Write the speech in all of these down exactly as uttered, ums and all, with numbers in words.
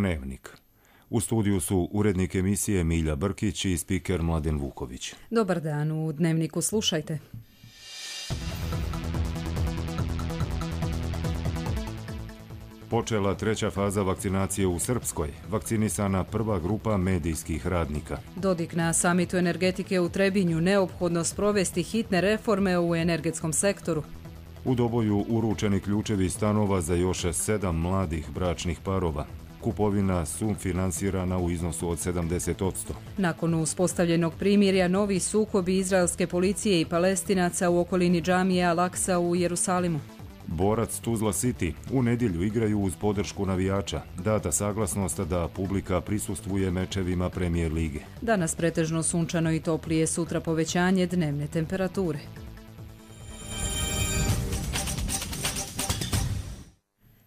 Dnevnik. U studiju su urednik emisije Milja Brkić i spiker Mladen Vuković. Dobar dan, u Dnevniku slušajte. Počela treća faza vakcinacije u Srpskoj. Vakcinisana prva grupa medijskih radnika. Dodik na samitu energetike u Trebinju, neophodno sprovesti hitne reforme u energetskom sektoru. U Doboju uručeni ključevi stanova za još sedam mladih bračnih parova. Kupovina sufinansirana u iznosu od sedamdeset posto. Nakon uspostavljenog primirja, novi sukobi izraelske policije i Palestinaca u okolini džamije Al-Aksa u Jerusalimu. Borac Tuzla City u nedjelju igraju uz podršku navijača. Data saglasnost da publika prisustvuje mečevima Premijer lige. Danas pretežno sunčano i toplije, sutra povećanje dnevne temperature.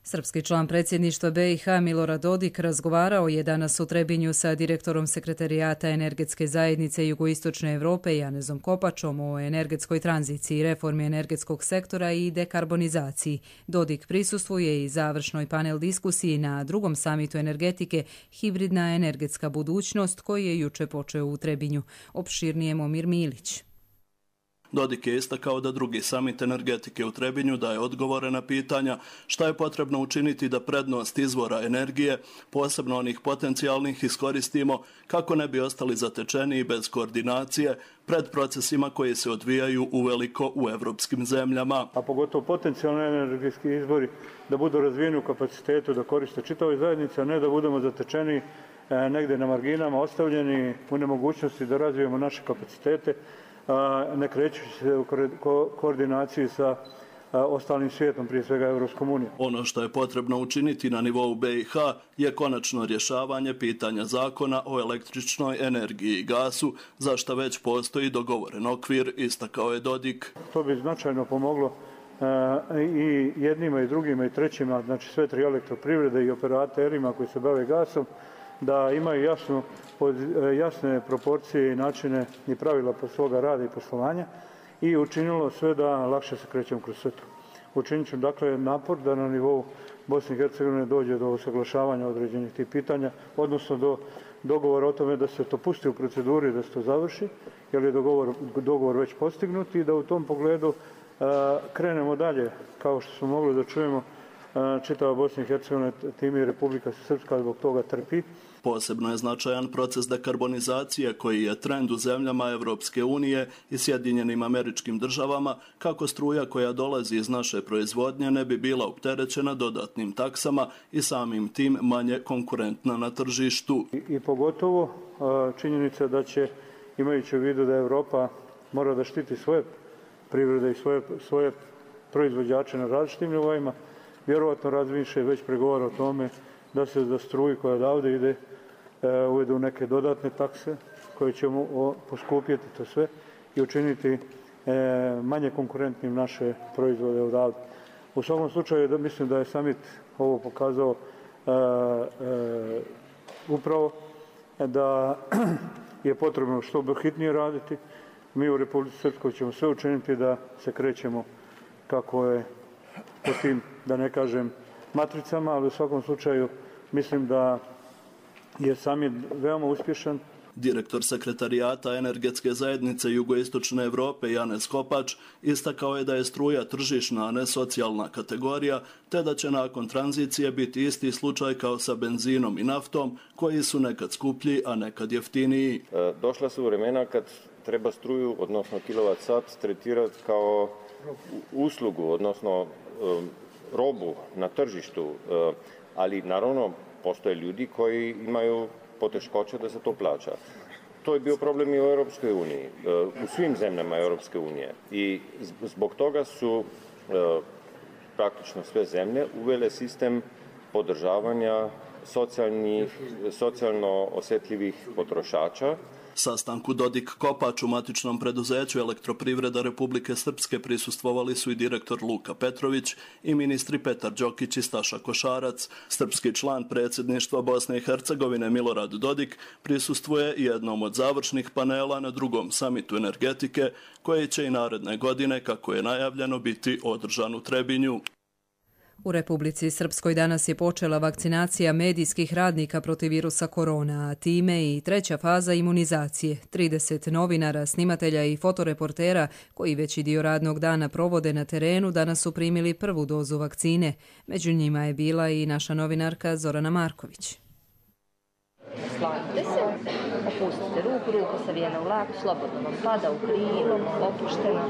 Srpski član predsjedništva be i ha Milorad Dodik razgovarao je danas u Trebinju sa direktorom Sekretarijata energetske zajednice Jugoistočne Europe Janezom Kopačom o energetskoj tranziciji, reformi energetskog sektora i dekarbonizaciji. Dodik prisustvuje i završnoj panel diskusiji na drugom samitu energetike Hibridna energetska budućnost koji je juče počeo u Trebinju. Opširnije Momir Milić. Dodik je istakao da drugi samit energetike u Trebinju daje odgovore na pitanja šta je potrebno učiniti da prednost izvora energije, posebno onih potencijalnih, iskoristimo kako ne bi ostali zatečeni i bez koordinacije pred procesima koji se odvijaju uveliko u evropskim zemljama. A pogotovo potencijalni energetski izvori da budu razvijeni u kapacitetu da koriste čitavoj zajednici, a ne da budemo zatečeni negdje na marginama, ostavljeni u nemogućnosti da razvijemo naše kapacitete, ne krećući se u ko- koordinaciji sa ostalim svijetom, prije svega Evropskom unijom. Ono što je potrebno učiniti na nivou be i ha je konačno rješavanje pitanja zakona o električnoj energiji i gasu, za što već postoji dogovoren okvir, istakao je Dodik. To bi značajno pomoglo i jednima i drugima i trećima, znači sve tri elektroprivrede i operaterima koji se bave gasom, da imaju jasnu, jasne proporcije i načine i pravila po svoga rada i poslovanja i učinilo sve da lakše se krećemo kroz sve to. Učinit ću dakle napor da na nivou Bosne i Hercegovine dođe do usaglašavanja određenih tih pitanja, odnosno do dogovora o tome da se to pusti u proceduri, da se to završi, jer je dogovor, dogovor već postignut i da u tom pogledu a, krenemo dalje, kao što smo mogli da čujemo. Čitava Bosna i Hercegovina, tim i Republika Srpska zbog toga trpi. Posebno je značajan proces dekarbonizacije koji je trend u zemljama Evropske unije i Sjedinjenim Američkim Državama, kako struja koja dolazi iz naše proizvodnje ne bi bila opterećena dodatnim taksama i samim tim manje konkurentna na tržištu. I, i pogotovo činjenica da će, imajući u vidu da Evropa mora da štiti svoje privrede i svoje, svoje proizvođače na različitim nivoima, vjerovatno razmišlja i već pregovara o tome da se za struju koja odavde ide e, uvedu neke dodatne takse koje ćemo o, poskupjeti to sve i učiniti e, manje konkurentnim naše proizvode odavde. U svakom slučaju da, mislim da je samit ovo pokazao e, e, upravo da je potrebno što hitnije raditi. Mi u Republici Srpskoj ćemo sve učiniti da se krećemo kako je po tim, da ne kažem, matricama, ali u svakom slučaju mislim da je samit veoma uspješan. Direktor Sekretarijata energetske zajednice Jugoistočne Europe Janez Kopač istakao je da je struja tržišna, a ne socijalna kategorija, te da će nakon tranzicije biti isti slučaj kao sa benzinom i naftom, koji su nekad skuplji, a nekad jeftiniji. Došla su vremena kad treba struju, odnosno kilovat sat, tretirati kao uslugu, odnosno robu na tržištu, ali naravno postoje ljudi koji imaju poteškoće da se to plaća. To je bio problem i u Europskoj uniji, u svim zemljama Europske unije i zbog toga su praktično sve zemlje uvele sistem podržavanja socijalnih, socijalno osjetljivih potrošača. Sastanku Dodik Kopač u matičnom preduzeću Elektroprivreda Republike Srpske prisustvovali su i direktor Luka Petrović i ministri Petar Đokić i Staša Košarac. Srpski član predsjedništva Bosne i Hercegovine Milorad Dodik prisustvuje jednom od završnih panela na drugom samitu energetike koji će i naredne godine, kako je najavljeno, biti održan u Trebinju. U Republici Srpskoj danas je počela vakcinacija medijskih radnika protiv virusa korona, a time i treća faza imunizacije. trideset novinara, snimatelja i fotoreportera koji veći dio radnog dana provode na terenu danas su primili prvu dozu vakcine. Među njima je bila i naša novinarka Zorana Marković. Slanite se, opustite ruku, ruka savijena u lak, slobodno vam pada u krilo, opuštena,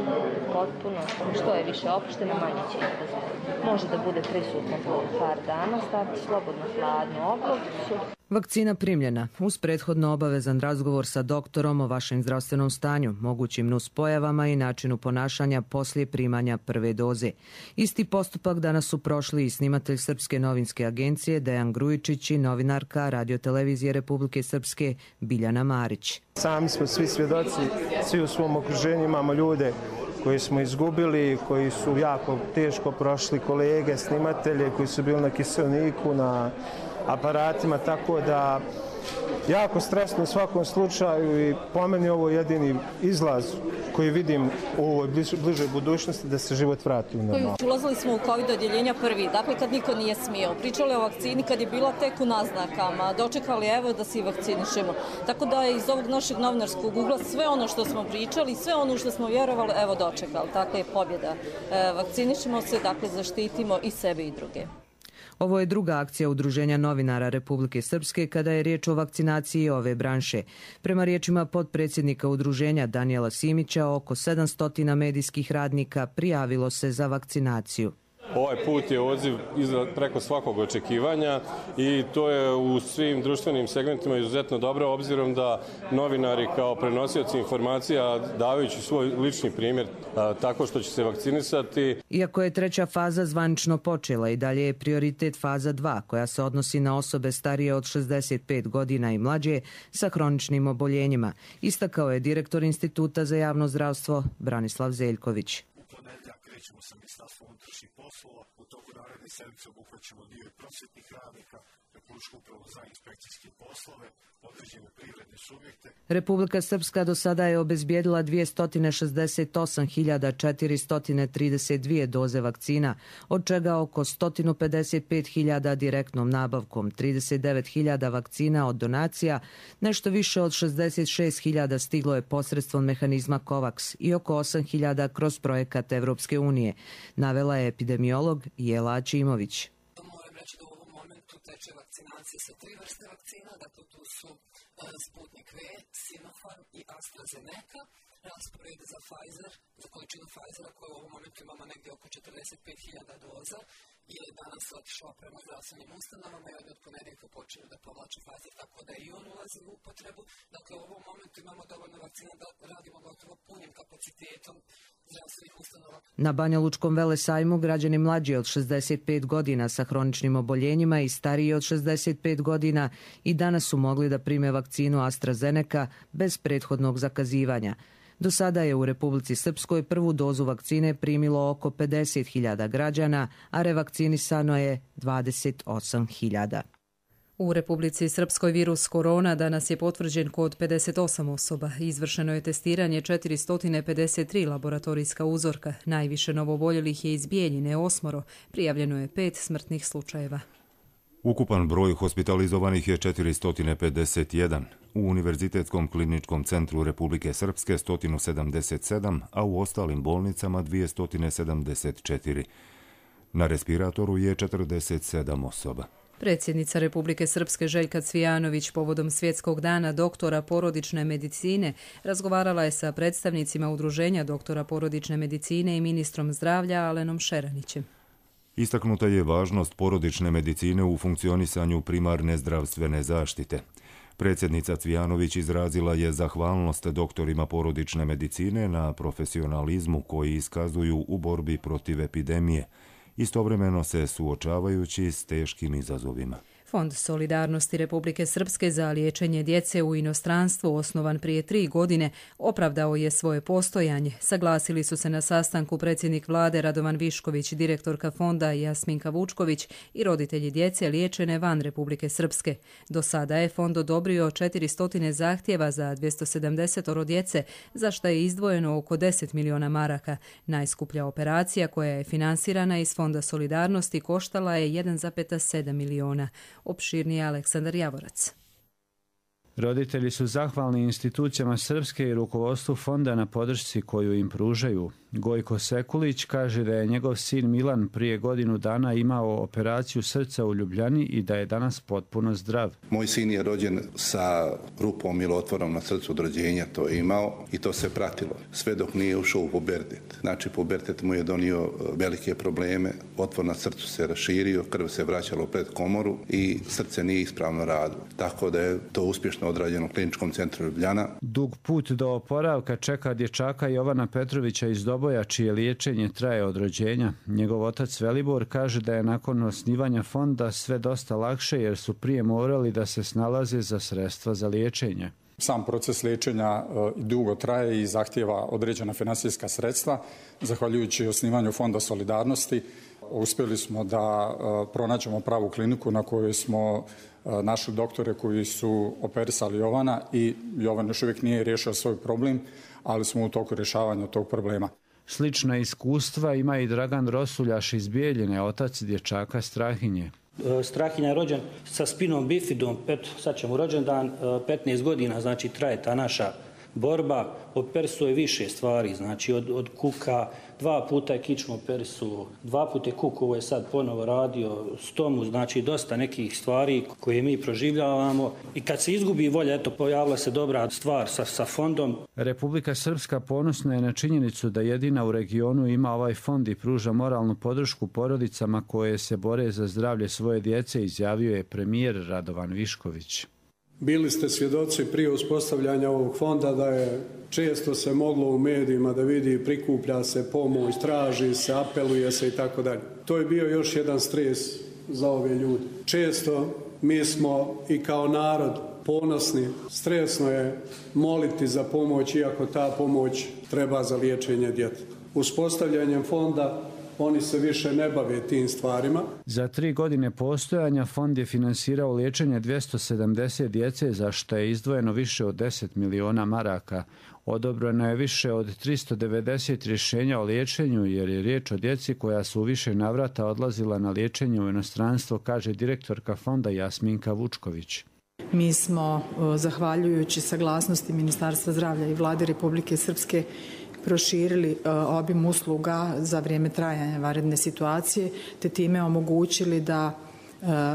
potpuno. Što je više opuštena, manje će izraziti. Može da bude prisutno po par dana, stavite slobodno hladnu oblogu. Vakcina primljena, uz prethodno obavezan razgovor sa doktorom o vašem zdravstvenom stanju, mogućim nuspojavama i načinu ponašanja poslije primanja prve doze. Isti postupak danas su prošli i snimatelj Srpske novinske agencije Dejan Grujičić i novinarka Radiotelevizije Republike Srpske Biljana Marić. Sami smo svi svjedoci, svi u svom okruženju imamo ljude koji smo izgubili, koji su jako teško prošli, kolege, snimatelje koji su bili na kiselniku, na aparatima, tako da jako stresno u svakom slučaju i po meni ovo je jedini izlaz koji vidim u ovoj bližoj budućnosti da se život vrati u normalno. Ulazili smo u COVID odjeljenja prvi, dakle kad niko nije smio. Pričali o vakcini kad je bila tek u naznakama, dočekali evo da se i vakcinišemo. Tako da je iz ovog našeg novinarskog ugla sve ono što smo pričali, sve ono što smo vjerovali, evo dočekali. Tako je pobjeda. E, vakcinišemo se, dakle zaštitimo i sebe i druge. Ovo je druga akcija Udruženja novinara Republike Srpske kada je riječ o vakcinaciji ove branše. Prema riječima potpredsjednika udruženja Danijela Simića, oko sedamsto medijskih radnika prijavilo se za vakcinaciju. Ovaj put je odziv preko svakog očekivanja i to je u svim društvenim segmentima izuzetno dobro, obzirom da novinari kao prenosioci informacija davajući svoj lični primjer tako što će se vakcinisati. Iako je treća faza zvanično počela i dalje je prioritet faza dva, koja se odnosi na osobe starije od šezdeset pet godina i mlađe sa hroničnim oboljenjima, istakao je direktor Instituta za javno zdravstvo Branislav Zeljković. Krećemo sa Ministarstvom unutrašnjih poslova, u toku naredne sedmice obuhvaćamo dio prosvjetnih radnika, Republičku upravu za inspekcijske poslove, određene privredne subjekte. Republika Srpska do sada je obezbijedila dvjesto šezdeset osam hiljada četiristo trideset dvije doze vakcina, od čega oko sto pedeset pet hiljada direktnom nabavkom, trideset devet hiljada vakcina od donacija, nešto više od šezdeset šest hiljada stiglo je posredstvom mehanizma COVAX i oko osam hiljada kroz projekat Evropske unije, navela je epidemiolog Jela Ačimović. Moram reći da u ovom momentu teče vakcinacija sa tri vrste vakcina, dakle tu su Sputnik V, Sinopharm i AstraZeneca. Raspored za Pfizer, za količinu Pfizera koju u ovom momentu imamo negdje oko četrdeset pet hiljada doza, je danas otišao prema zdravstvenim ustanovama i od ponedjeljka počeo da povlači Pfizer, tako da i on ulazi u upotrebu. Dakle, u ovom momentu imamo dovoljno vakcina da radimo gotovo punim kapacitetom zdravstvenih ustanova. Na Banja Lučkom velesajmu građani mlađi od šezdeset pet godina sa hroničnim oboljenjima i stariji od šezdeset pet godina i danas su mogli da prime vakcinu AstraZeneca bez prethodnog zakazivanja. Do sada je u Republici Srpskoj prvu dozu vakcine primilo oko pedeset hiljada građana, a revakcinisano je dvadeset osam hiljada. U Republici Srpskoj virus korona danas je potvrđen kod pedeset osam osoba. Izvršeno je testiranje četiristo pedeset tri laboratorijska uzorka. Najviše novoboljelih je iz Bijeljine, osmoro. Prijavljeno je pet smrtnih slučajeva. Ukupan broj hospitalizovanih je četiristo pedeset jedan. U Univerzitetskom kliničkom centru Republike Srpske sto sedamdeset sedam, a u ostalim bolnicama dvjesto sedamdeset četiri. Na respiratoru je četrdeset sedam osoba. Predsjednica Republike Srpske Željka Cvijanović povodom Svjetskog dana doktora porodične medicine razgovarala je sa predstavnicima Udruženja doktora porodične medicine i ministrom zdravlja Alenom Šeranićem. Istaknuta je važnost porodične medicine u funkcionisanju primarne zdravstvene zaštite. Predsjednica Cvijanović izrazila je zahvalnost doktorima porodične medicine na profesionalizmu koji iskazuju u borbi protiv epidemije, istovremeno se suočavajući s teškim izazovima. Fond solidarnosti Republike Srpske za liječenje djece u inostranstvu, osnovan prije tri godine, opravdao je svoje postojanje. Saglasili su se na sastanku predsjednik vlade Radovan Višković, direktorka fonda Jasminka Vučković i roditelji djece liječene van Republike Srpske. Do sada je fond odobrio četiristo zahtjeva za dvjesto sedamdeset djece, za što je izdvojeno oko deset miliona maraka. Najskuplja operacija koja je finansirana iz Fonda solidarnosti koštala je jedan zarez sedam miliona. Opširniji Aleksandar Javorac. Roditelji su zahvalni institucijama Srpske i rukovodstvu fonda na podršci koju im pružaju. Gojko Sekulić kaže da je njegov sin Milan prije godinu dana imao operaciju srca u Ljubljani i da je danas potpuno zdrav. Moj sin je rođen sa rupom ili otvorom na srcu od rođenja, to je imao i to se pratilo. Sve dok nije ušao u pubertet. Znači pubertet mu je donio velike probleme, otvor na srcu se raširio, krv se vraćala u predkomoru i srce nije ispravno radilo. Tako da je to uspješno odrađeno u kliničkom centru Ljubljana. Dug put do oporavka čeka dječaka Jovana Petrovića iz Doboja, čije liječenje traje od rođenja. Njegov otac Velibor kaže da je nakon osnivanja fonda sve dosta lakše jer su prije morali da se snalaze za sredstva za liječenje. Sam proces liječenja dugo traje i zahtijeva određena financijska sredstva. Zahvaljujući osnivanju Fonda solidarnosti uspjeli smo da pronađemo pravu kliniku na kojoj smo našli doktore koji su operisali Jovana i Jovan još uvijek nije riješio svoj problem, ali smo u toku rješavanja tog problema. Slična iskustva ima i Dragan Rosuljaš iz Bijeljine, otac dječaka Strahinje. Strahinja je rođen sa spinom bifidom, pet, sad ćemo rođendan, petnaest godina, znači traje ta naša borba. Operisuje je više stvari, znači od, od kuka, dva puta je kičmu operisu, dva puta je kuk, ovo je sad ponovo radio, stomu, znači dosta nekih stvari koje mi proživljavamo. I kad se izgubi volja, eto, pojavila se dobra stvar sa, sa fondom. Republika Srpska ponosna je na činjenicu da jedina u regionu ima ovaj fond i pruža moralnu podršku porodicama koje se bore za zdravlje svoje djece, izjavio je premijer Radovan Višković. Bili ste svjedoci prije uspostavljanja ovog fonda da je često se moglo u medijima da vidi prikuplja se pomoć, traži se, apeluje se i tako dalje. To je bio još jedan stres za ove ljude. Često mi smo i kao narod ponosni, stresno je moliti za pomoć iako ta pomoć treba za liječenje djeteta. Uspostavljanjem fonda oni se više ne bave tim stvarima. Za tri godine postojanja fond je finansirao liječenje dvjesto sedamdeset djece, za što je izdvojeno više od deset miliona maraka. Odobreno je više od tristo devedeset rješenja o liječenju jer je riječ o djeci koja su u više navrata odlazila na liječenje u inostranstvo, kaže direktorka fonda Jasminka Vučković. Mi smo, zahvaljujući saglasnosti Ministarstva zdravlja i Vlade Republike Srpske, proširili obim usluga za vrijeme trajanja vanredne situacije, te time omogućili da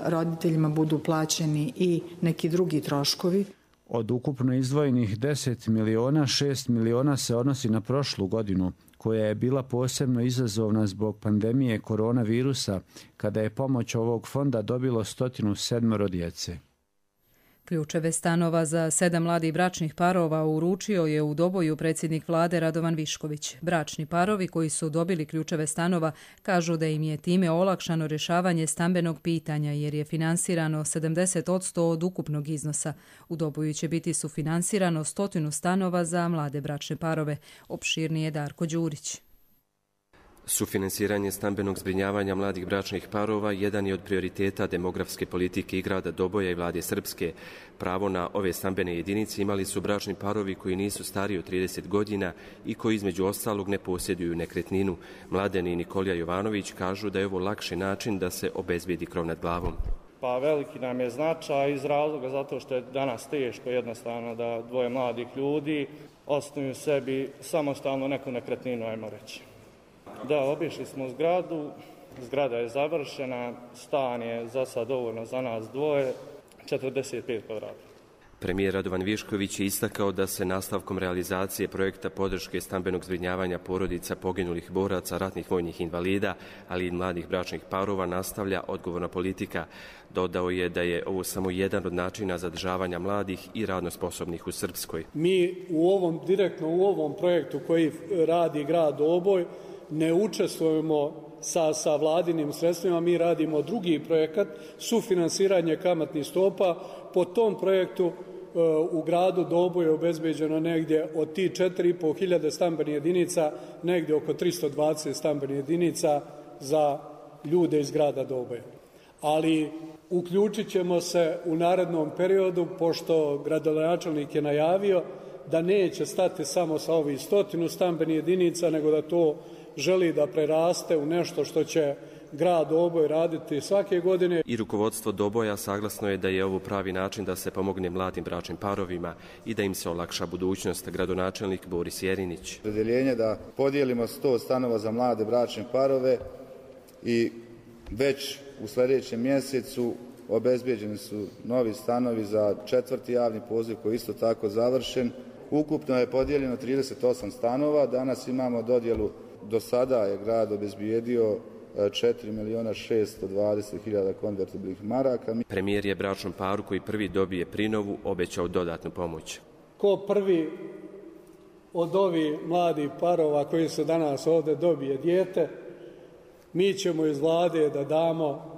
roditeljima budu plaćeni i neki drugi troškovi. Od ukupno izdvojenih deset miliona, šest miliona se odnosi na prošlu godinu, koja je bila posebno izazovna zbog pandemije koronavirusa, kada je pomoć ovog fonda dobilo sto sedam djece. Ključeve stanova za sedam mladih bračnih parova uručio je u Doboju predsjednik vlade Radovan Višković. Bračni parovi koji su dobili ključeve stanova kažu da im je time olakšano rješavanje stambenog pitanja jer je finansirano sedamdeset posto od ukupnog iznosa. U Doboju će biti sufinansirano stotinu stanova za mlade bračne parove. Opširnije Darko Đurić. Sufinansiranje stambenog zbrinjavanja mladih bračnih parova jedan je od prioriteta demografske politike i grada Doboja i vlade Srpske. Pravo na ove stambene jedinice imali su bračni parovi koji nisu stariji od trideset godina i koji između ostalog ne posjeduju nekretninu. Mladen i Nikolija Jovanović kažu da je ovo lakši način da se obezbijedi krov nad glavom. Pa veliki nam je značaj iz razloga zato što je danas teško jednostavno da dvoje mladih ljudi osnuju sebi samostalno neku nekretninu, ajmo reći. Da, obišli smo zgradu, zgrada je završena, stan je za sad dovoljno za nas dvoje, četrdeset pet kvadrata. Premijer Radovan Višković je istakao da se nastavkom realizacije projekta podrške stambenog zbrinjavanja porodica poginulih boraca, ratnih vojnih invalida, ali i mladih bračnih parova nastavlja odgovorna politika. Dodao je da je ovo samo jedan od načina zadržavanja mladih i radno sposobnih u Srpskoj. Mi u ovom, direktno u ovom projektu koji radi grad Doboj, ne učestvujemo sa, sa vladinim sredstvima, mi radimo drugi projekat, sufinansiranje kamatnih stopa. Po tom projektu u gradu Doboje je obezbeđeno negdje od ti četiri i po hiljade stambenih jedinica, negdje oko tristo dvadeset stambenih jedinica za ljude iz grada Doboja. Ali uključit ćemo se u narednom periodu, pošto gradonačelnik je najavio da neće stati samo sa ovih stotinu stambenih jedinica, nego da to želi da preraste u nešto što će grad Doboj raditi svake godine. I rukovodstvo Doboja saglasno je da je ovo pravi način da se pomogne mladim bračnim parovima i da im se olakša budućnost. Gradonačelnik Boris Jerinić. Opredjeljenje da podijelimo sto stanova za mlade bračne parove i već u sljedećem mjesecu obezbeđeni su novi stanovi za četvrti javni poziv koji je isto tako završen. Ukupno je podijeljeno trideset osam stanova. Danas imamo dodjelu, do sada je grad obezbijedio četiri milijuna šesto dvadeset hiljada konvertibilnih maraka. Premijer je bračnom paru koji prvi dobije prinovu obećao dodatnu pomoć. Ko prvi od ovih mladih parova koji su danas ovdje dobije dijete, mi ćemo iz vlade da damo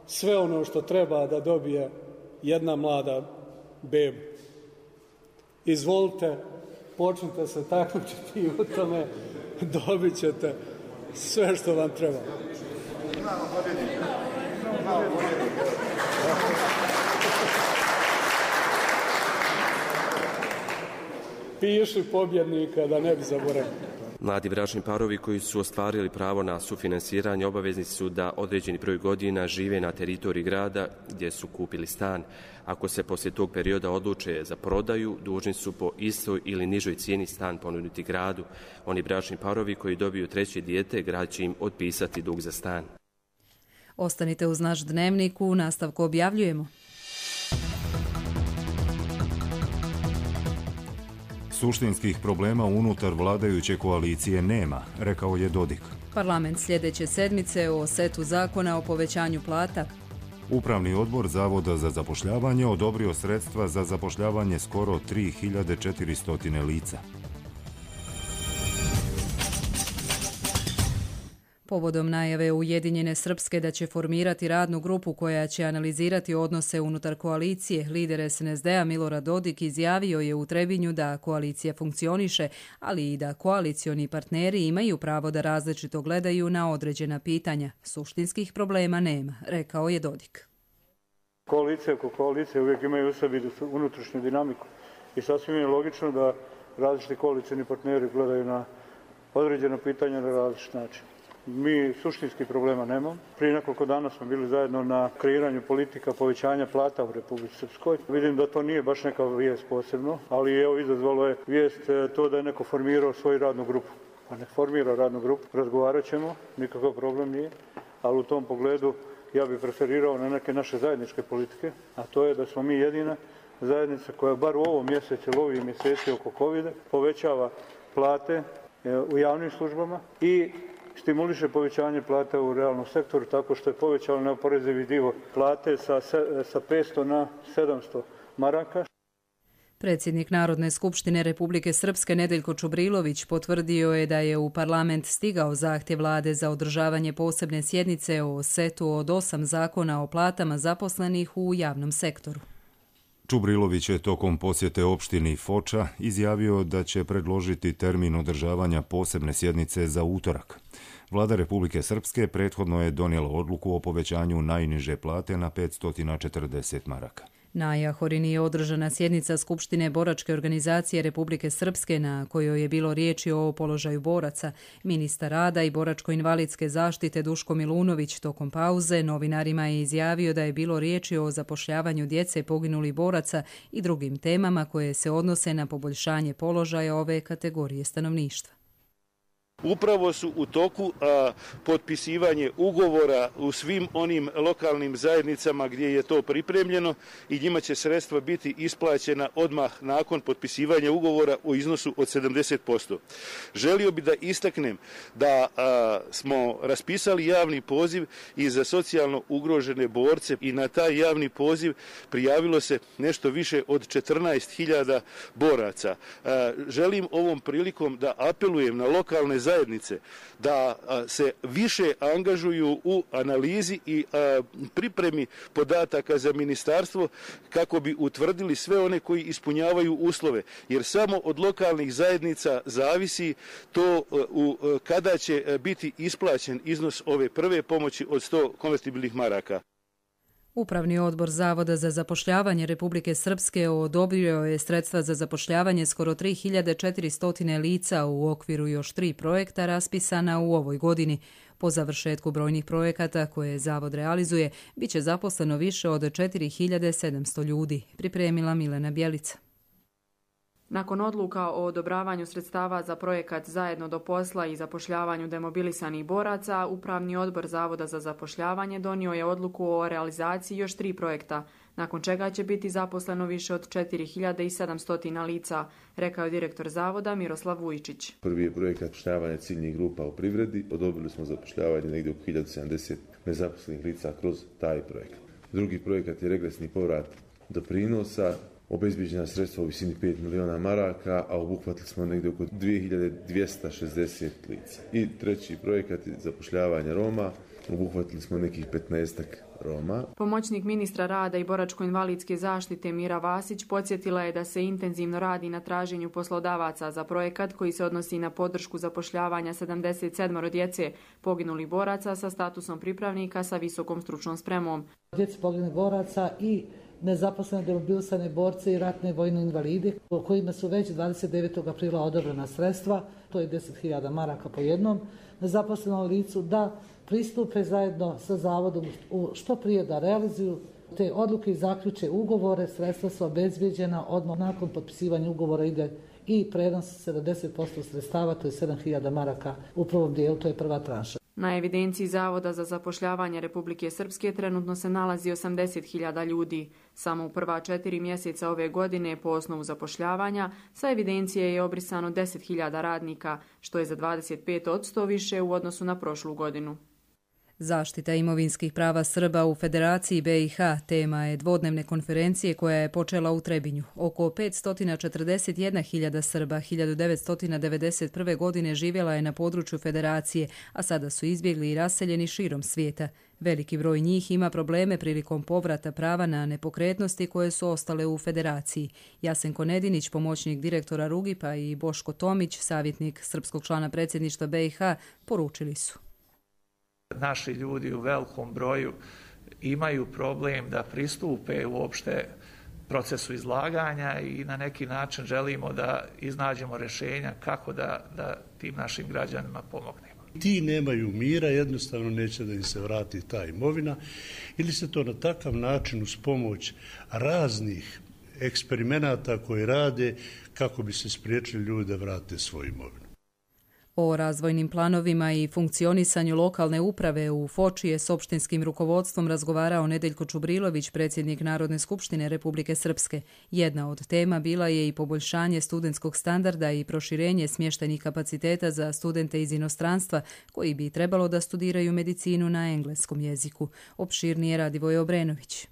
sve ono što treba da dobije jedna mlada bebu. Izvolite, počnite se takmičiti u tome, dobit ćete sve što vam treba. Imamo pobjednika. Imamo pobjednika. Piši pobjednika da ne bi zaboravili. Mladi bračni parovi koji su ostvarili pravo na sufinansiranje obavezni su da određeni broj godina žive na teritoriji grada gdje su kupili stan. Ako se poslije tog perioda odluče za prodaju, dužni su po istoj ili nižoj cijeni stan ponuditi gradu. Oni bračni parovi koji dobiju treće dijete, grad će im otpisati dug za stan. Ostanite uz naš dnevnik, u nastavku objavljujemo. Suštinskih problema unutar vladajuće koalicije nema, rekao je Dodik. Parlament sljedeće sedmice o setu zakona o povećanju plata. Upravni odbor Zavoda za zapošljavanje odobrio sredstva za zapošljavanje skoro tri hiljade četiristo lica. Povodom najave Ujedinjene Srpske da će formirati radnu grupu koja će analizirati odnose unutar koalicije, lider es en es de a Milorad Dodik izjavio je u Trebinju da koalicija funkcioniše, ali i da koalicioni partneri imaju pravo da različito gledaju na određena pitanja. Suštinskih problema nema, rekao je Dodik. Koalicija oko koalicije uvijek imaju u sebi unutrašnju dinamiku i sasvim je logično da različiti koalicioni partneri gledaju na određena pitanja na različit način. Mi suštinskih problema nemamo. Prije nekoliko dana smo bili zajedno na kreiranju politika povećanja plata u Republici Srpskoj. Vidim da to nije baš neka vijest posebno, ali evo izazvalo je vijest to da je neko formirao svoju radnu grupu. Pa ne formira radnu grupu, razgovarat ćemo, nikakav problem nije, ali u tom pogledu ja bih preferirao na neke naše zajedničke politike, a to je da smo mi jedina zajednica koja bar u ovom mjesecu ili ovih mjeseci oko kovida povećava plate u javnim službama i stimuliše povećanje plata u realnom sektoru tako što je povećao neoporezivi dio plate sa, sa petsto na sedamsto maraka. Predsjednik Narodne skupštine Republike Srpske Nedeljko Čubrilović potvrdio je da je u parlament stigao zahtjev vlade za održavanje posebne sjednice o setu od osam zakona o platama zaposlenih u javnom sektoru. Čubrilović je tokom posjete opštini Foča izjavio da će predložiti termin održavanja posebne sjednice za utorak. Vlada Republike Srpske prethodno je donijela odluku o povećanju najniže plate na petsto četrdeset maraka. Na Jahorini je održana sjednica Skupštine boračke organizacije Republike Srpske na kojoj je bilo riječi o položaju boraca. Ministar rada i boračko-invalidske zaštite Duško Milunović tokom pauze novinarima je izjavio da je bilo riječi o zapošljavanju djece poginulih boraca i drugim temama koje se odnose na poboljšanje položaja ove kategorije stanovništva. Upravo su u toku a, potpisivanje ugovora u svim onim lokalnim zajednicama gdje je to pripremljeno i njima će sredstva biti isplaćena odmah nakon potpisivanja ugovora u iznosu od sedamdeset posto. Želio bih da istaknem da a, smo raspisali javni poziv i za socijalno ugrožene borce i na taj javni poziv prijavilo se nešto više od četrnaest hiljada boraca. A, želim ovom prilikom da apelujem na lokalne zajednice zajednice da se više angažuju u analizi i pripremi podataka za ministarstvo kako bi utvrdili sve one koji ispunjavaju uslove, jer samo od lokalnih zajednica zavisi to u, kada će biti isplaćen iznos ove prve pomoći od sto konvertibilnih maraka. Upravni odbor Zavoda za zapošljavanje Republike Srpske odobrio je sredstva za zapošljavanje skoro tri hiljade četiristo lica u okviru još tri projekta raspisana u ovoj godini. Po završetku brojnih projekata koje Zavod realizuje, bit će zaposleno više od četiri hiljade sedamsto ljudi, pripremila Milena Bjelica. Nakon odluka o odobravanju sredstava za projekat Zajedno do posla i zapošljavanju demobilisanih boraca, Upravni odbor Zavoda za zapošljavanje donio je odluku o realizaciji još tri projekta, nakon čega će biti zaposleno više od četiri hiljade sedamsto lica, rekao je direktor Zavoda Miroslav Vujčić. Prvi je projekat zapošljavanja ciljnih grupa u privredi. Odobrili smo zapošljavanje negdje oko hiljadu sedamdeset nezaposlenih lica kroz taj projekat. Drugi projekat je regresni povrat doprinosa. Obezbijeđena sredstva u visini pet miliona maraka, a obuhvatili smo negdje oko dvije hiljade dvjesto šezdeset lica. I treći projekat je zapošljavanje Roma. Obuhvatili smo nekih petnaestak Roma. Pomoćnik ministra rada i boračko-invalidske zaštite Mira Vasić podsjetila je da se intenzivno radi na traženju poslodavaca za projekat koji se odnosi na podršku zapošljavanja sedamdeset sedam djece poginulih boraca sa statusom pripravnika sa visokom stručnom spremom. Djeci poginulih boraca i nezaposlene demobilisane borce i ratne vojne invalide, o kojima su već dvadeset devetog aprila odobrena sredstva, to je deset hiljada maraka po jednom nezaposlenom licu, da pristupe zajedno sa zavodom što prije da realizuju te odluke i zaključe ugovore. Sredstva su obezbijeđena, odmah nakon potpisivanja ugovora ide i prenos sedamdeset posto sredstava, to je sedam hiljada maraka u prvom dijelu, to je prva tranša. Na evidenciji Zavoda za zapošljavanje Republike Srpske trenutno se nalazi osamdeset hiljada ljudi. Samo u prva četiri mjeseca ove godine po osnovu zapošljavanja sa evidencije je obrisano deset hiljada radnika, što je za dvadeset pet posto više u odnosu na prošlu godinu. Zaštita imovinskih prava Srba u Federaciji B i H tema je dvodnevne konferencije koja je počela u Trebinju. Oko petsto četrdeset jedna hiljada Srba hiljadu devetsto devedeset prve. godine živjela je na području Federacije, a sada su izbjegli i raseljeni širom svijeta. Veliki broj njih ima probleme prilikom povrata prava na nepokretnosti koje su ostale u Federaciji. Jasenko Nedinić, pomoćnik direktora Rugipa, i Boško Tomić, savjetnik srpskog člana predsjedništva B i H, poručili su. Naši ljudi u velikom broju imaju problem da pristupe uopšte procesu izlaganja i na neki način želimo da iznađemo rješenja kako da, da tim našim građanima pomognemo. Ti nemaju mira, jednostavno neće da im se vrati ta imovina ili se to na takav način uz pomoć raznih eksperimenata koji rade kako bi se spriječili ljudi da vrate svoju imovinu. O razvojnim planovima i funkcionisanju lokalne uprave u Foči je s opštinskim rukovodstvom razgovarao Nedeljko Čubrilović, predsjednik Narodne skupštine Republike Srpske. Jedna od tema bila je i poboljšanje studentskog standarda i proširenje smještajnih kapaciteta za studente iz inostranstva koji bi trebalo da studiraju medicinu na engleskom jeziku. Opširnije Radivoje Obrenović.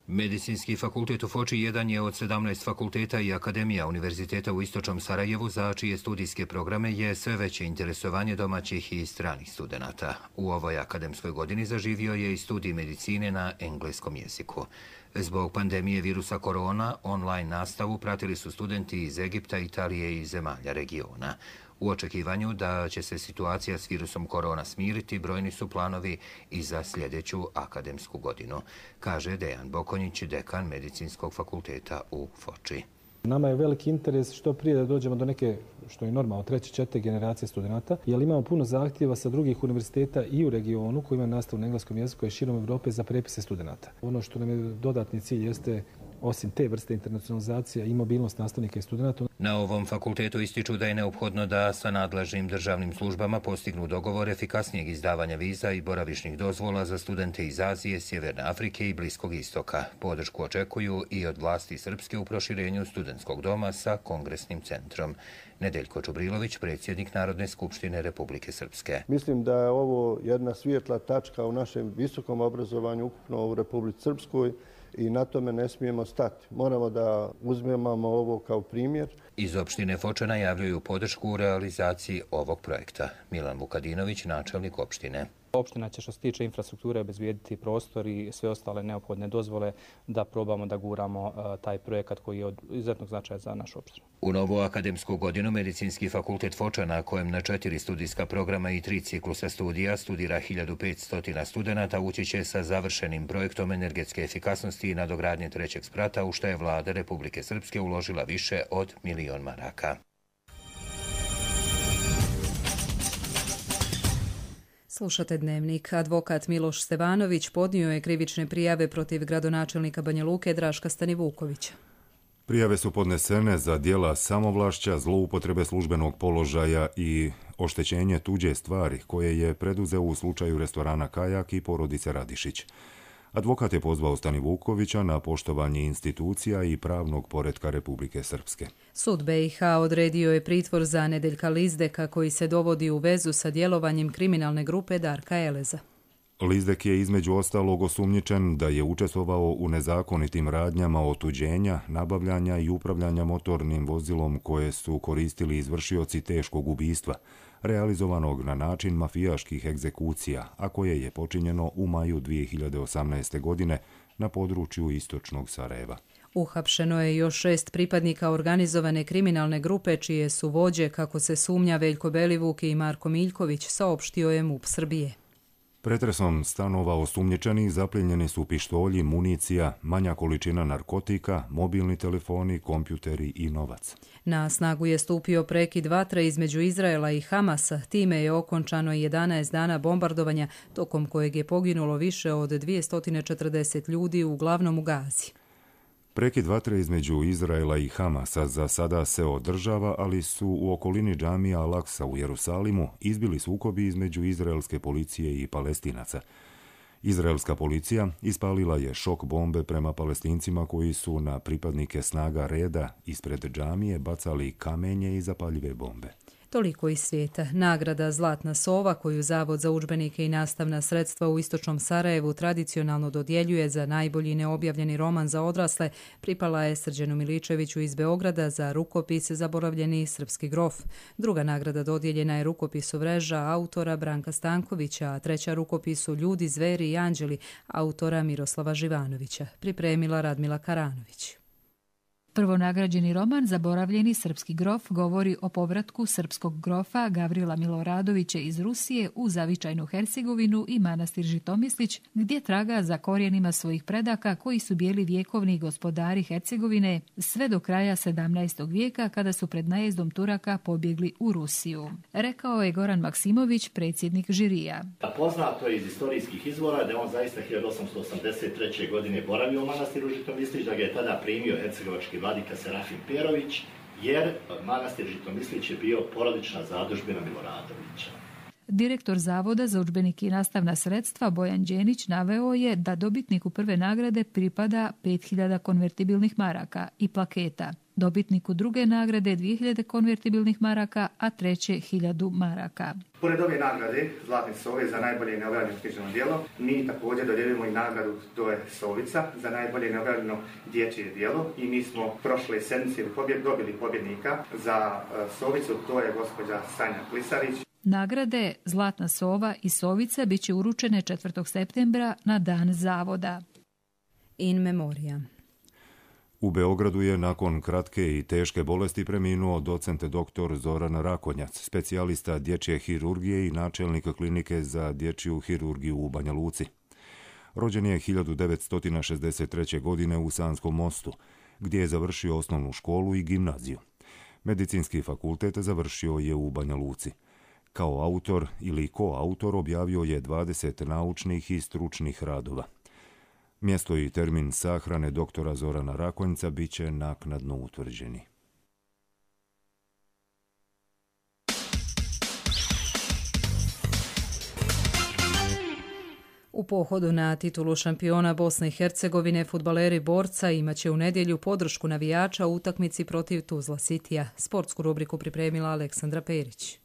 Medicinski fakultet u Foči jedan je od sedamnaest fakulteta i akademija Univerziteta u Istočnom Sarajevu za čije studijske programe je sve veće interesovanje domaćih i stranih studenata. U ovoj akademskoj godini zaživio je i studij medicine na engleskom jeziku. Zbog pandemije virusa korona, online nastavu pratili su studenti iz Egipta, Italije i zemalja regiona. U očekivanju da će se situacija s virusom korona smiriti, brojni su planovi i za sljedeću akademsku godinu, kaže Dejan Bokonjić, dekan Medicinskog fakulteta u Foči. Nama je veliki interes što prije da dođemo do neke, što je normalno, treće, četiri generacije studenta, jer imamo puno zahtjeva sa drugih univerziteta i u regionu koji imaju nastavu na engleskom jeziku i širom Evrope za prepise studenta. Ono što nam je dodatni cilj jeste, osim te vrste internacionalizacija, i mobilnost nastavnika i studenta. Na ovom fakultetu ističu da je neophodno da sa nadležnim državnim službama postignu dogovor efikasnijeg izdavanja viza i boravišnih dozvola za studente iz Azije, Sjeverne Afrike i Bliskog istoka. Podršku očekuju i od vlasti Srpske u proširenju studentskog doma sa kongresnim centrom. Nedeljko Čubrilović, predsjednik Narodne skupštine Republike Srpske. Mislim da je ovo jedna svijetla tačka u našem visokom obrazovanju ukupno u Republici Srpskoj i na tome ne smijemo stati. Moramo da uzmemo ovo kao primjer. Iz opštine Foča najavljuju podršku u realizaciji ovog projekta. Milan Vukadinović, načelnik opštine. Opština će što se tiče infrastrukture obezbijediti prostor i sve ostale neophodne dozvole da probamo da guramo uh, taj projekat koji je od izuzetnog značaja za našu opštinu. U novu akademsku godinu Medicinski fakultet Foča, na kojem na četiri studijska programa i tri ciklusa studija studira hiljadu petsto studenata, ući će sa završenim projektom energetske efikasnosti i nadogradnje trećeg sprata, u što je vlada Republike Srpske uložila više od milion maraka. Slušate Dnevnik. Advokat Miloš Stevanović podnio je krivične prijave protiv gradonačelnika Banja Luke Draška Stanivukovića. Prijave su podnesene za djela samovlašća, zloupotrebe službenog položaja i oštećenje tuđe stvari koje je preduzeo u slučaju restorana Kajak i porodice Radišić. Advokat je pozvao Stanivukovića na poštovanje institucija i pravnog poretka Republike Srpske. Sud B i H odredio je pritvor za Nedeljka Lizdeka koji se dovodi u vezu sa djelovanjem kriminalne grupe Darka Eleza. Lizdek je između ostalog osumnjičen da je učestvovao u nezakonitim radnjama otuđenja, nabavljanja i upravljanja motornim vozilom koje su koristili izvršioci teškog ubistva, realizovanog na način mafijaških egzekucija, a koje je počinjeno u maju dvije hiljade osamnaeste. godine na području istočnog Sarajeva. Uhapšeno je još šest pripadnika organizovane kriminalne grupe čije su vođe, kako se sumnja, Veljko Belivuk i Marko Miljković, saopštio je MUP Srbije. Pretresom stanova osumnjičenih zaplijenjeni su pištolji, municija, manja količina narkotika, mobilni telefoni, kompjuteri i novac. Na snagu je stupio prekid vatre između Izraela i Hamasa. Time je okončano jedanaest dana bombardovanja, tokom kojeg je poginulo više od dvjesto četrdeset ljudi, uglavnom u Gazi. Prekid vatre između Izraela i Hamasa za sada se održava, ali su u okolini džamija Al-Aksa u Jerusalimu izbili sukobi između izraelske policije i Palestinaca. Izraelska policija ispalila je šok bombe prema Palestincima koji su na pripadnike snaga reda ispred džamije bacali kamenje i zapaljive bombe. Toliko iz svijeta. Nagrada Zlatna sova, koju Zavod za udžbenike i nastavna sredstva u istočnom Sarajevu tradicionalno dodjeljuje za najbolji neobjavljeni roman za odrasle, pripala je Srđanu Miličeviću iz Beograda za rukopis Zaboravljeni srpski grof. Druga nagrada dodijeljena je rukopisu Vreža autora Branka Stankovića, a treća rukopisu Ljudi, zveri i anđeli autora Miroslava Živanovića. Pripremila Radmila Karanović. Prvonagrađeni roman Zaboravljeni srpski grof govori o povratku srpskog grofa Gavrila Miloradovića iz Rusije u zavičajnu Hercegovinu i manastir Žitomislić, gdje traga za korijenima svojih predaka koji su bili vjekovni gospodari Hercegovine sve do kraja sedamnaestog vijeka kada su pred najezdom Turaka pobjegli u Rusiju. Rekao je Goran Maksimović, predsjednik žirija. Poznato je iz istorijskih izvora da je on zaista hiljadu osamsto osamdeset treće. godine boravio u manastiru Žitomislić, da ga je tada primio hercegovački vladika Serafim Perović, jer manastir Žitomislić je bio porodična zadužbina Miloradovića. Direktor Zavoda za udžbenike i nastavna sredstva Bojan Đenić naveo je da dobitniku prve nagrade pripada pet hiljada konvertibilnih maraka i plaketa, dobitniku druge nagrade dvije hiljade konvertibilnih maraka, a treće hiljadu maraka. Pored ove nagrade Zlatne sove za najbolje neobjavljeno književno djelo, mi također dodjeljujemo i nagradu To je Sovica za najbolje neobjavljeno dječje djelo i mi smo prošle sedmice dobili pobjednika za Sovicu, to je gospođa Sanja Klisarić. Nagrade Zlatna sova i Sovica bit će uručene četvrtog septembra na dan Zavoda. In memoria. U Beogradu je nakon kratke i teške bolesti preminuo docent doktor Zoran Rakonjac, specijalista dječje hirurgije i načelnik klinike za dječju hirurgiju u Banja Luci. Rođen je hiljadu devetsto šezdeset treće. godine u Sanskom Mostu, gdje je završio osnovnu školu i gimnaziju. Medicinski fakultet završio je u Banja Luci. Kao autor ili koautor objavio je dvadeset naučnih i stručnih radova. Mjesto i termin sahrane doktora Zorana Rakonjca bit će naknadno utvrđeni. U pohodu na titulu šampiona Bosne i Hercegovine fudbaleri Borca imaće u nedjelju podršku navijača u utakmici protiv Tuzla Citya. Sportsku rubriku pripremila Aleksandra Perić.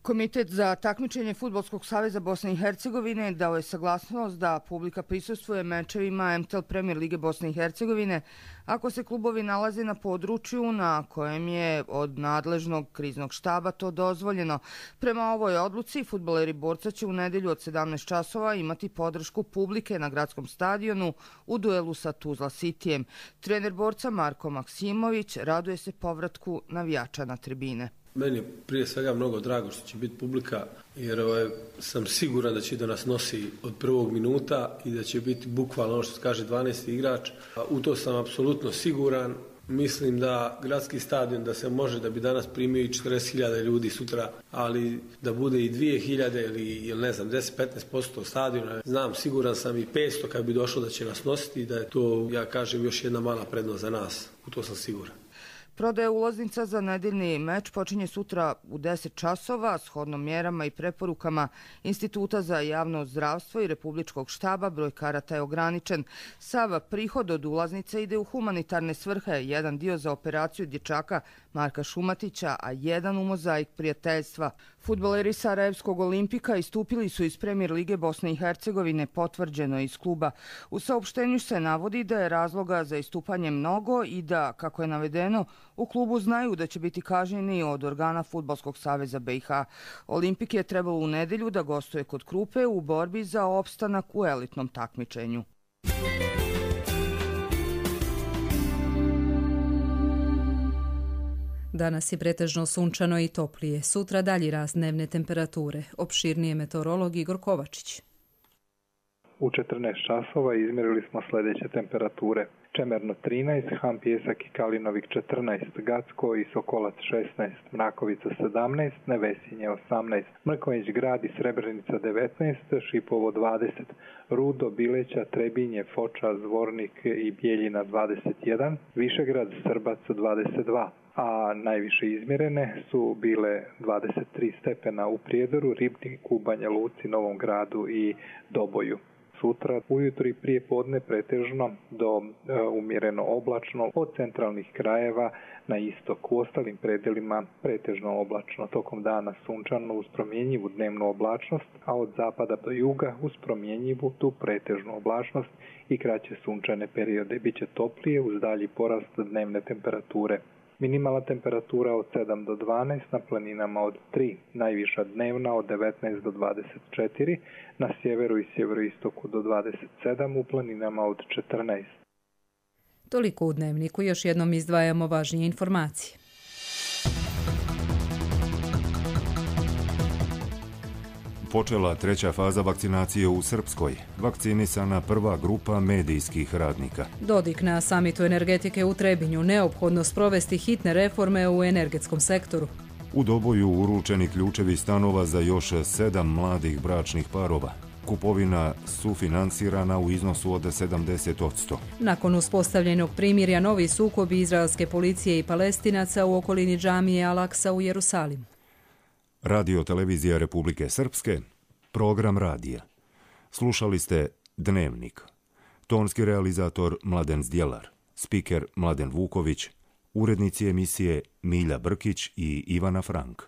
Komitet za takmičenje Fudbalskog saveza Bosne i Hercegovine dao je saglasnost da publika prisustvuje mečevima M T L Premier Lige Bosne i Hercegovine ako se klubovi nalaze na području na kojem je od nadležnog kriznog štaba to dozvoljeno. Prema ovoj odluci, fudbaleri Borca će u nedelju od sedamnaest časova imati podršku publike na gradskom stadionu u duelu sa Tuzla Cityjem. Trener Borca Marko Maksimović raduje se povratku navijača na tribine. Meni je prije svega mnogo drago što će biti publika, jer ovaj, sam siguran da će da nas nosi od prvog minuta i da će biti bukvalno ono što se kaže dvanaesti igrač. U to sam apsolutno siguran. Mislim da gradski stadion da se može da bi danas primio i četrdeset hiljada ljudi sutra, ali da bude i dvije hiljade ili, ili ne znam deset do petnaest posto stadiona. Znam, siguran sam i petsto kad bi došlo da će nas nositi i da je to, ja kažem, još jedna mala prednost za nas. U to sam siguran. Prodaja ulaznica za nedeljni meč počinje sutra u deset časova, shodno mjerama i preporukama Instituta za javno zdravstvo i Republičkog štaba. Broj karata je ograničen. Sav prihod od ulaznice ide u humanitarne svrhe, jedan dio za operaciju dječaka Marka Šumatića, a jedan u mozaik prijateljstva. Fudbaleri Sarajevskog Olimpika istupili su iz Premier Lige Bosne i Hercegovine, potvrđeno iz kluba. U saopštenju se navodi da je razloga za istupanje mnogo i da, kako je navedeno, u klubu znaju da će biti kažnjeni od organa Fudbalskog saveza B i H. Olimpik je trebalo u nedelju da gostuje kod Krupe u borbi za opstanak u elitnom takmičenju. Danas je pretežno sunčano i toplije. Sutra dalji rast dnevne temperature. Opširnije meteorolog Igor Kovačić. U četrnaest časova izmjerili smo sljedeće temperature. Čemerno trinaest, Han Pjesak i Kalinovik četrnaest, Gacko i Sokolac šesnaest, Mrakovica sedamnaest, Nevesinje osamnaest, Mrkonjić Grad i Srebrenica devetnaest, Šipovo dvadeset, Rudo, Bileća, Trebinje, Foča, Zvornik i Bijeljina dvadeset jedan, Višegrad, Srbac dvadeset dva. A najviše izmjerene su bile dvadeset tri stepena u Prijedoru, Ribniku, Banja Luci, Novom Gradu i Doboju. Sutra ujutro i prije podne pretežno do e, umjereno oblačno, od centralnih krajeva na istok. U ostalim predelima pretežno oblačno. Tokom dana sunčano uz promjenjivu dnevnu oblačnost, a od zapada do juga uz promjenjivu tu pretežnu oblačnost i kraće sunčane periode. Biće toplije uz dalji porast dnevne temperature. Minimalna temperatura od sedam do dvanaest, na planinama od tri, najviša dnevna od devetnaest do dvadeset četiri, na sjeveru i sjeveroistoku do dvadeset sedam, u planinama od četrnaest. Toliko u dnevniku, još jednom izdvajamo važnije informacije. Počela treća faza vakcinacije u Srpskoj. Vakcinisana prva grupa medijskih radnika. Dodik na samitu energetike u Trebinju, neophodno sprovesti hitne reforme u energetskom sektoru. U Doboju uručeni ključevi stanova za još sedam mladih bračnih parova. Kupovina sufinansirana u iznosu od sedamdeset posto. Nakon uspostavljenog primirja, novi sukobi izraelske policije i Palestinaca u okolini džamije Al-Aksa u Jerusalimu. Radio Televizija Republike Srpske, program radija. Slušali ste Dnevnik. Tonski realizator Mladen Zdjelar, spiker Mladen Vuković, urednici emisije Milja Brkić i Ivana Frank.